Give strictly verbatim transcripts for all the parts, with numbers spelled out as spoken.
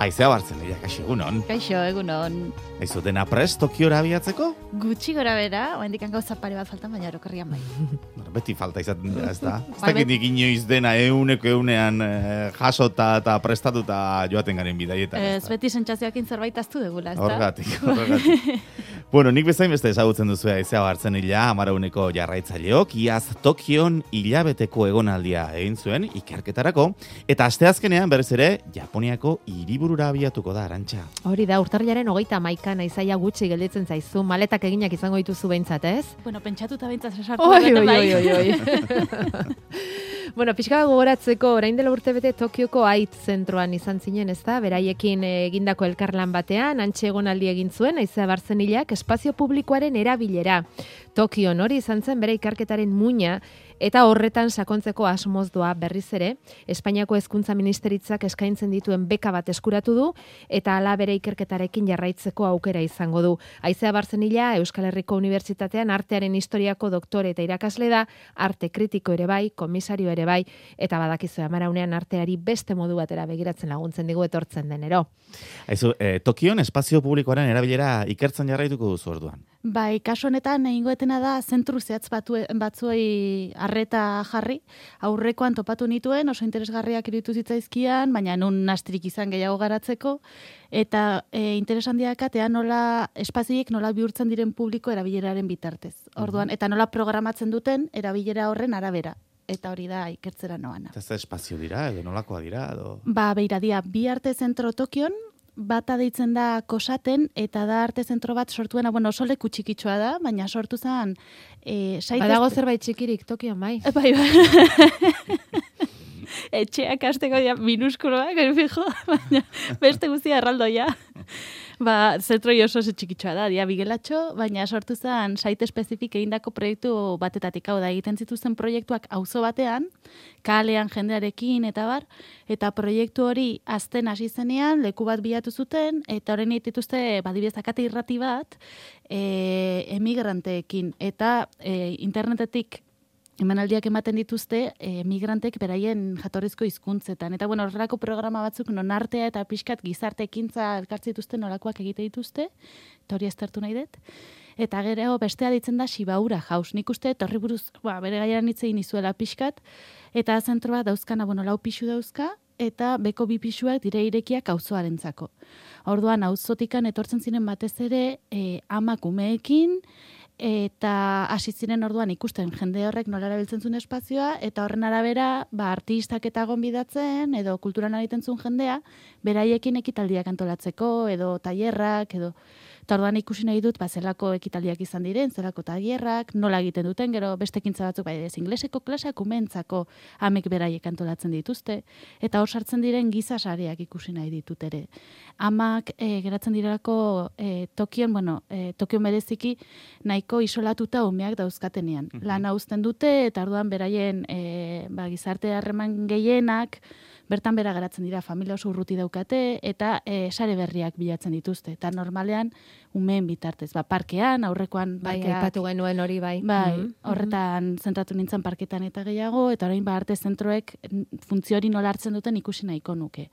Aizea bartzen, ira, kaixo, egunon. Kaixo, egunon. Aizu, dena prest Tokiora abiatzeko? Gutxi gora bera, oendik gauza pare bat faltan, baina erokerrian bai. Bueno, beti falta izaten dira, ez da? Ez Bai, dakitik inoiz dena euneko eunean eh, jasota eta prestatuta joaten garen bidaietan. Ez, beti sentsazioakin zerbait aztu degula, ez da? Horgatik, horgatik. Bueno, nik bezain beste ezagutzen duzu Aizea bartzen hila, amarauneko jarraitzaileok, iaz Tokion hilabeteko egonaldia egin zuen ikerketarako, eta asteazkenean berriz ere Japoniako hiriburura abiatuko da, Arantxa. Hori da, urtarrilaren hogeita hamaika naizaia gutxi gelditzen zaizu, maletak eginak izango dituzu behintzat, ez? Bueno, pentsatuta behintzat sartu Oi, bete oi, bai. oi, oi, oi. Bueno, pixka gogoratzeko, orain dela urte bete Tokioko A I T zentroan izan zinen, ez da? Beraiekin egindako elkarlan batean, antxe egonaldi egin zuen, Aizea Barzenilak espazio publikoaren erabilera. Tokion hori izan zen bere ikerketaren muina, eta horretan sakontzeko asmoz doa berriz ere, Espainiako Hezkuntza Ministeritzak eskaintzen dituen beka bat eskuratu du, eta hala bere ikerketarekin jarraitzeko aukera izango du. Aizea Barzenila Euskal Herriko Unibertsitatean artearen historiako doktore eta irakasle da, arte kritiko ere bai, komisario ere bai, eta badakizu amaraunean arteari beste modu batera begiratzen laguntzen digu etortzen denero. Aizu, eh, Tokion espazio publikoaren erabilera ikertzen jarraituko duzu orduan. Bai, kasu honetan egingoetena da zentru zehatz batu, batzuei arreta jarri, aurrekoan topatu nituen, oso interesgarriak iruditu zitzaizkian, baina nun nastirik izan gehiago garatzeko, eta e, interesandiakatea nola espazioiek nola bihurtzen diren publiko erabileraren bitartez. Orduan, eta nola programatzen duten erabilera horren arabera. Eta hori da ikertzera noana. Eta ez espazio dira, edo nolakoa dira, edo... Ba, beira dia, bi arte zentro Tokion, bata deitzen da Kosaten, eta da arte zentro bat sortuena, bueno, oso leku txikitsua da, baina sortu zen... E, Badago zerbait txikirik Tokion, bai. Bai, bai. Etxeak hasteko ja minuskuloak, fijo, baina beste guztia erraldoia. Ba, zentroi oso oso txikitsua da, dia bigelatxo, baina sortu zen site espezifik egindako proiektu batetatik, hau da, egiten zituzten proiektuak auzo batean, kalean jendearekin eta bar, eta proiektu hori azten hasi zenean, leku bat bilatu zuten, eta horren dituzte, badibidez, akate irrati bat, e, emigranteekin, eta e, internetetik emanaldiak ematen dituzte emigrantek beraien jatorrizko hizkuntzetan. Eta bueno, horrelako programa batzuk non artea eta pixkat gizarte ekintza elkartze dituzte nolakoak egite dituzte, eta hori aztertu nahi dut. Eta gero bestea ditzen da Shibaura House. Nik uste horri buruz, ba, bere gaiaren hitz egin izuela pixkat, eta zentroa dauzkana, bueno, lau pixu dauzka, eta beko bi pixuak dire irekiak auzoarentzako. Orduan, auzotikan etortzen ziren batez ere e, amak umeekin, eta hasi ziren orduan ikusten jende horrek nola erabiltzen zuen espazioa, eta horren arabera, ba, artistak eta gonbidatzen, edo kulturan egiten zuen jendea, beraiekin ekitaldiak antolatzeko, edo tailerrak, edo... Eta orduan ikusi nahi dut, ba, zelako ekitaldiak izan diren, zelako tailerrak, nola egiten duten, gero beste ekintza batzuk, bai, ez ingleseko klaseak umentzako amek beraiek antolatzen dituzte, eta hor sartzen diren giza sareak ikusi nahi ditut ere. Amak e, geratzen direlako e, Tokion, bueno, e, Tokion bereziki nahiko isolatuta umeak dauzkatenean. Mm-hmm. Lana uzten dute, eta orduan beraien e, ba, gizarte harreman gehienak, bertan bera geratzen dira, familia oso urruti daukate, eta e, sare berriak bilatzen dituzte. Eta normalean, umeen bitartez. Ba, parkean, aurrekoan bai, parkeak... aipatu genuen hori, bai. Bai, Mm-hmm. horretan zentratu nintzen parketan eta gehiago, eta orain ba, arte zentroek funtzio hori nola hartzen duten ikusi nahiko nuke.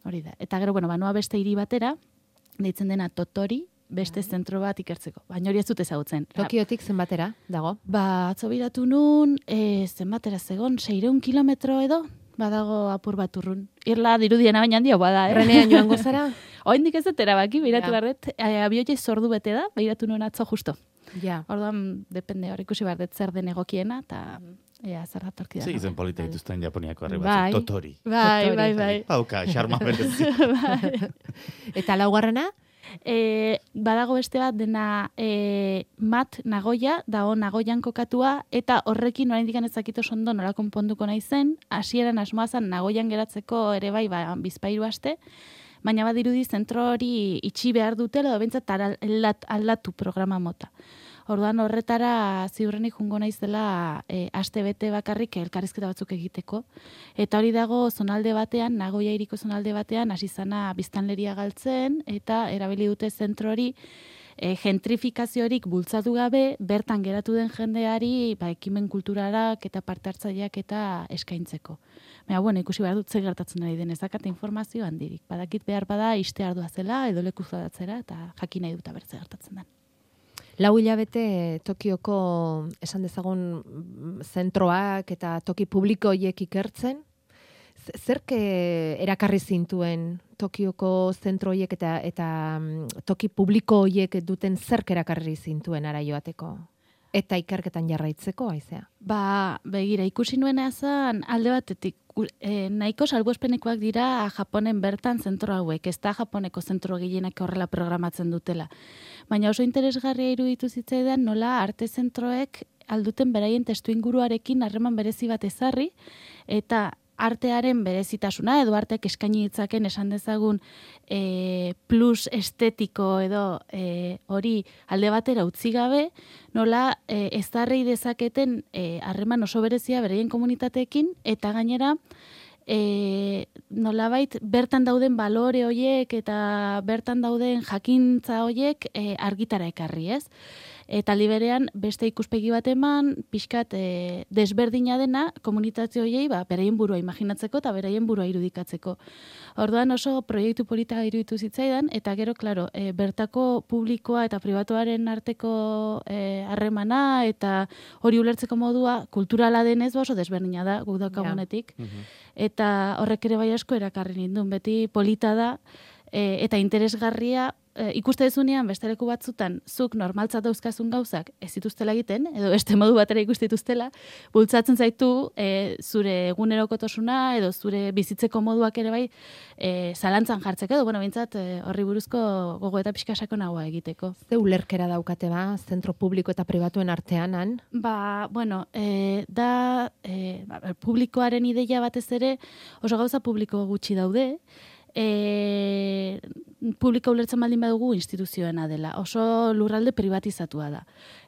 Hori da. Eta gero, bueno, banoa beste hiri batera, deitzen dena Totori, beste zentro bat ikertzeko. Baina hori ez dut ezagutzen. Tokiotik zenbatera, dago? Ba, atzo biratu nun, e, zenbatera zegon, seireun kilometro edo, badago apur bat urrun. Irla dirudiena baina handia bada, eh? Renean joango zara? Oindik ez dut erabaki, biratu Ja. barret, abioia zordu bete da, biratu nuen atzo justo. Ja. Orduan, depende hor ikusi behar dut zer den egokiena, eta ea, zer datorki da. Zer izen polita dituzten Japoniako herri Bai. batzuk, Totori. Bai, Totori. bai, bai. Pauka, xarma berezi. Eta laugarrena? E, badago beste bat dena e, Mat Nagoya, dago Nagoyan kokatua, eta horrekin oraindik ez dakit oso ondo nola konponduko naizen, hasieran asmoa zen Nagoyan geratzeko ere bai, ba, bizpahiru aste, baina badirudi zentro hori itxi behar dutela, edo bentsat aldatu programa mota. Orduan horretara ziurrenik jungo naizela e, aste bete bakarrik elkarrizketa batzuk egiteko. Eta hori dago zonalde batean, Nagoya hiriko zonalde batean, hasi zana biztanleria galtzen, eta erabili dute zentro hori e, gentrifikaziorik bultzatu gabe, bertan geratu den jendeari ba, ekimen kulturarak eta parte hartzaileak eta eskaintzeko. Baina, bueno, ikusi behar dut ze gertatzen ari den, ez dakate informazio handirik. Badakit behar bada iste ardua zela, edo leku zadatzera, eta jakin nahi duta bertze gertatzen den. Lau hilabete Tokioko, esan dezagun, zentroak eta toki publiko horiek ikertzen, zerk erakarri zintuen Tokioko zentro horiek eta, eta toki publiko horiek duten zerk erakarri zintuen ara joateko? Eta ikerketan jarraitzeko, aizea? Ba, begira, ikusi nuena zan alde batetik, e, nahiko salbuespenekoak dira Japonen bertan zentro hauek, ez da Japoneko zentro gehienak horrela programatzen dutela. Baina oso interesgarria iruditu zitzaidan nola arte zentroek alduten beraien testu inguruarekin harreman berezi bat ezarri, eta artearen berezitasuna, edo arteak eskaini ditzaken esan dezagun e, plus estetiko edo e, hori alde batera utzi gabe, nola e, ezarri dezaketen harreman e, oso berezia beraien komunitateekin, eta gainera e, nolabait bertan dauden balore hoiek eta bertan dauden jakintza hoiek e, argitara ekarri, ez? Eta liberean beste ikuspegi bat eman, pixkat e, desberdina dena komunitate horiei ba, beraien burua imaginatzeko eta beraien burua irudikatzeko. Orduan oso proiektu polita iruditu zitzaidan, eta gero, klaro, e, bertako publikoa eta pribatuaren arteko harremana e, eta hori ulertzeko modua kulturala denez oso desberdina da guk daukagunetik. Ja. Uh-huh. Eta horrek ere bai asko erakarri nindun, beti polita da e, eta interesgarria. E, ikuste dezunean, beste leku batzutan, zuk normaltzat dauzkazun gauzak ez dituztela egiten, edo beste modu batera ikuste dituztela, bultzatzen zaitu e, zure egunerokotosuna edo zure bizitzeko moduak ere bai e, zalantzan jartzeko, edo, bueno, bintzat, e, horri buruzko gogo eta pixkasako nagoa egiteko. Ze ulerkera daukate ba, zentro publiko eta pribatuen artean, han? Ba, bueno, e, da, e, ba, publikoaren ideia batez ere oso gauza publiko gutxi daude, E, publika ulertzen baldin badugu instituzioena dela. Oso lurralde privatizatua da.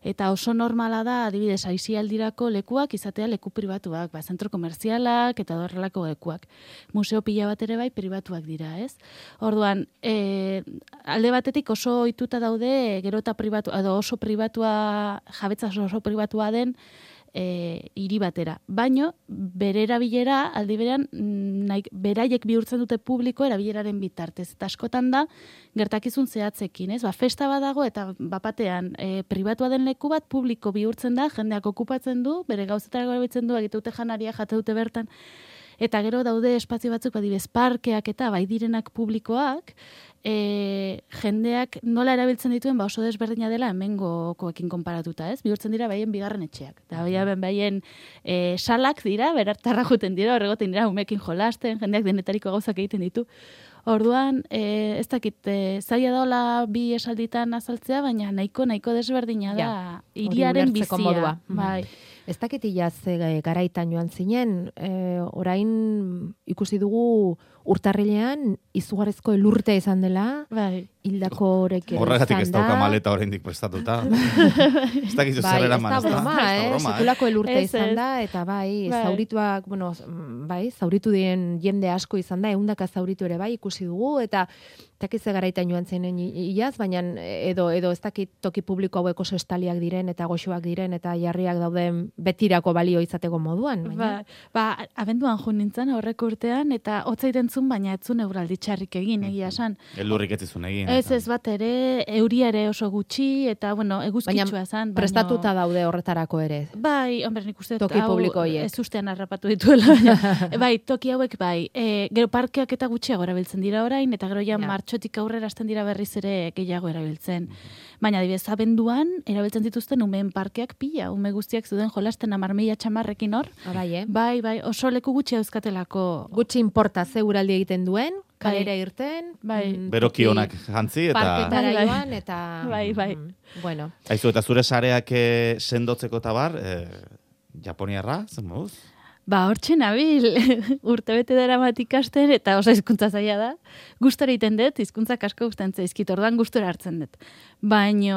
Eta oso normala da, adibidez, aisialdirako lekuak izatea leku pribatuak, ba, zentro komerzialak eta horrelako lekuak. Museo pila bat ere bai pribatuak dira, ez? Orduan, e, alde batetik oso ohituta daude, gero eta pribatu, edo oso pribatua, jabetza oso pribatua den, E, hiri batera. Baino, bere erabilera, aldi berean, nahi, beraiek bihurtzen dute publiko erabileraren bitartez. Eta askotan da, gertakizun zehatzekin, ez? Ba, festa badago eta bapatean e, pribatua den leku bat publiko bihurtzen da, jendeak okupatzen du, bere gauzetara erabiltzen du, egite dute janaria, jate dute bertan, eta gero daude espazio batzuk, adibez, parkeak eta bai direnak publikoak, E, jendeak nola erabiltzen dituen ba oso desberdina dela hemengokoekin konparatuta, ez? Bihurtzen dira baien bigarren etxeak. Eta baien baien e, salak dira, berartarra juten dira, horregoten dira umekin jolasten, jendeak denetariko gauzak egiten ditu. Orduan, e, ez dakit, e, zaila daola bi esalditan azaltzea, baina nahiko nahiko desberdina da hiriaren ja, bizia. Modua. Bai. Ez dakit ilaz e, garaitan joan zinen, e, orain ikusi dugu urtarrilean izugarrizko elurtea izan dela, bai. Hildako horrek izan da. Horregatik ez dauka maleta oraindik prestatuta. Ez dakizu zer eraman, ez da? Ez da broma, eh? Sekulako elurtea izan da, eta bai, bai, zaurituak, bueno, bai, zauritu diren jende asko izan da, ehundaka zauritu ere bai ikusi dugu, eta takitze garaitan joan zenen iaz, baina edo, edo ez dakit toki publiko hauek oso estaliak diren, eta goxoak diren, eta jarriak dauden betirako balio izateko moduan. Ba, ba, abenduan jo nintzen horrek urtean, eta hotzaiten zun, baina etzun euraldi txarrik egin, egia esan. Elurrik ez izun egin. Ez ez bat ere, euria ere oso gutxi, eta, bueno, eguzkitsua zan. Baina prestatuta daude horretarako ere. Bai, hombre, nik uste toki publiko hiek. Ez ustean harrapatu dituela. Bai, toki hauek bai. E, gero parkeak eta gutxiago erabiltzen dira orain, eta gero ja, ja. martxotik aurrera hasten dira berriz ere gehiago erabiltzen. Baina, adibidez, abenduan, erabiltzen dituzten umeen parkeak pila, ume guztiak zuden jolasten hamar mila txamarrekin hor. Bai, eh? Bai, bai, oso leku gutxi euskatelako. Gutxi importa ze uraldi egiten duen, kalera irten, bai. Mm, beroki honak jantzi, eta... Parketara joan, eta... Bai, bai. Mm, bueno. Aizu, eta zure sareak sendotzeko eta bar, eh, japoniarra, zen moduz? Ba, hortxe nabil, urtebete dara bat ikasten, eta oso hizkuntza zaila da. Gustora egiten dut, hizkuntzak asko gustatzen zaizkit, orduan gustora hartzen dut. Baino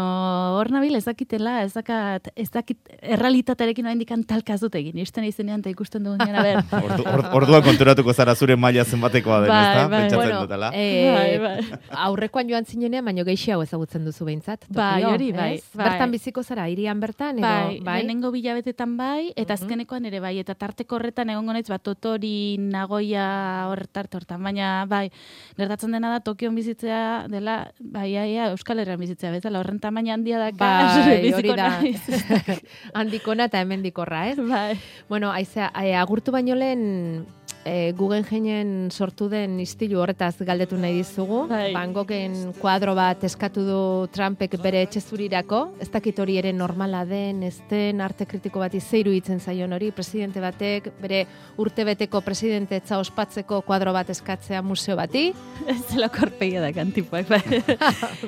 hor nabil, ez dakitela, ez dakat, ez dakit, errealitatearekin oraindik talka ez dut egin. Isten izenean eta ikusten dugun gana, ber. Ordu, or, orduan konturatuko zara zure maila zenbatekoa den, Bai, ezta? bai. Pentsatzen Bueno, dutela. eh, Bai, bai. aurrekoan joan zinenean, baino gehiago ezagutzen duzu behintzat. Bai, Tokio, hori, bai, ez? bai. Bertan biziko zara, hirian bertan, edo, Bai, bai? lehenengo bilabetetan bai, eta Mhm. azkenekoan ere bai, eta tarteko horretan egongo naiz, bat Totori, Nagoya horretarte hortan, baina bai, gertatzen dena da Tokion bizitzea dela, bai, bai, bai, Euskal Herrian bizitzea bezala, horren tamaina handia daka, Bai, biziko hori da. naiz. Handikona eta hemendikorra, ez? Bai. Bueno, aizea, eh, agurtu baino lehen e, Guggenheinen sortu den istilu horretaz galdetu nahi dizugu. Bai. Van Goghen kuadro bat eskatu du Trumpek bere etxezurirako. Ez dakit hori ere normala den, ez den arte kritiko bat izeiru hitzen zaion hori, presidente batek bere urtebeteko presidente etza ospatzeko kuadro bat eskatzea museo bati. Ez dela korpegia da kantipoak, bai.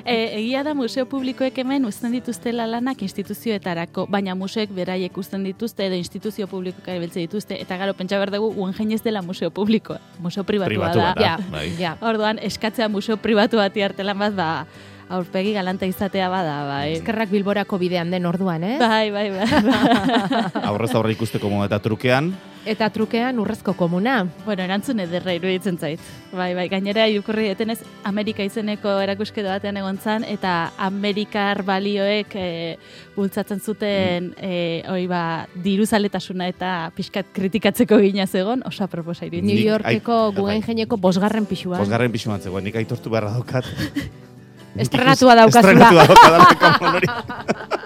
e, egia da museo publikoek hemen uzten dituztela lanak instituzioetarako, baina museoek beraiek uzten dituzte edo instituzio publikoak erabiltzen dituzte, eta gero pentsa behar dugu Guggenheim ez dela museo publikoa, museo pribatua, Pribatua da. da. Ja, bai. ja. Orduan, eskatzea museo pribatu bati artelan bat, ba, aurpegi galanta izatea bada, bai. Eskerrak Bilborako bidean den orduan, eh? Bai, bai, bai. Aurrez aurre ikusteko modu eta trukean, Eta trukean urrezko komuna. Bueno, erantzun ederra iruditzen zait. Bai, bai, gainera irakurri detenez Amerika izeneko erakusketa batean egon zan, eta Amerikar balioek e, bultzatzen zuten e, oi ba, diruzaletasuna eta pixkat kritikatzeko ginaz egon, oso aproposa iruditzen. New Nik- Yorkeko ai- Guggenheimeko bosgarren pisuan. bosgarren pisuan zegoen, nik aitortu beharra daukat. Estrenatua daukazula. Estrenatua daukadalako hori.